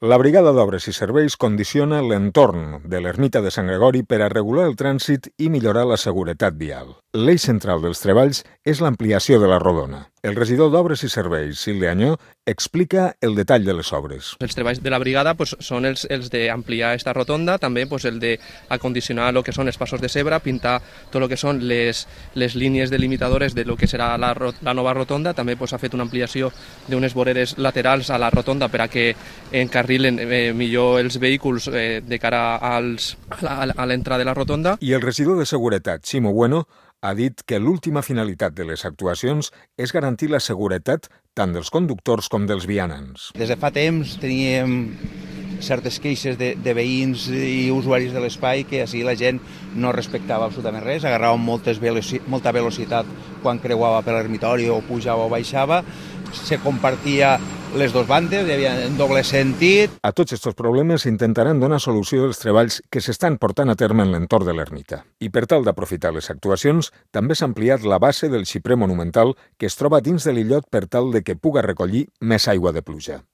La Brigada d'Obres i Serveis condiciona l'entorn de l'ermita de Sant Gregori per a regular el trànsit i millorar la seguretat vial. L'eix central dels treballs és l'ampliació de la rodona. El regidor d'Obres i Serveis, Silvia Anyó, explica el detall de les obres. Els treballs de la brigada són els d'ampliar esta rotonda, també el d'acondicionar el que són els passos de zebra, pintar tot el que són les línies delimitadores de lo que serà la nova rotonda. També s'ha fet una ampliació d'unes voreres laterals a la rotonda per a que encarrilen millor els vehicles de cara a l'entrada de la rotonda. I el regidor de Seguretat, Ximo Bueno, ha dit que l'última finalitat de les actuacions és garantir la seguretat tant dels conductors com dels vianants. Des de fa temps teníem certes queixes de veïns i usuaris de l'espai que així la gent no respectava absolutament res, agarrava molta velocitat quan creuava per l'ermitori o pujava o baixava, se compartia les dues bandes, hi havia en doble sentit. A tots aquests problemes intentaran donar solució als treballs que s'estan portant a terme en l'entorn de l'ermita. I per tal d'aprofitar les actuacions, també s'ha ampliat la base del xiprer monumental que es troba dins de l'illot per tal de que puga recollir més aigua de pluja.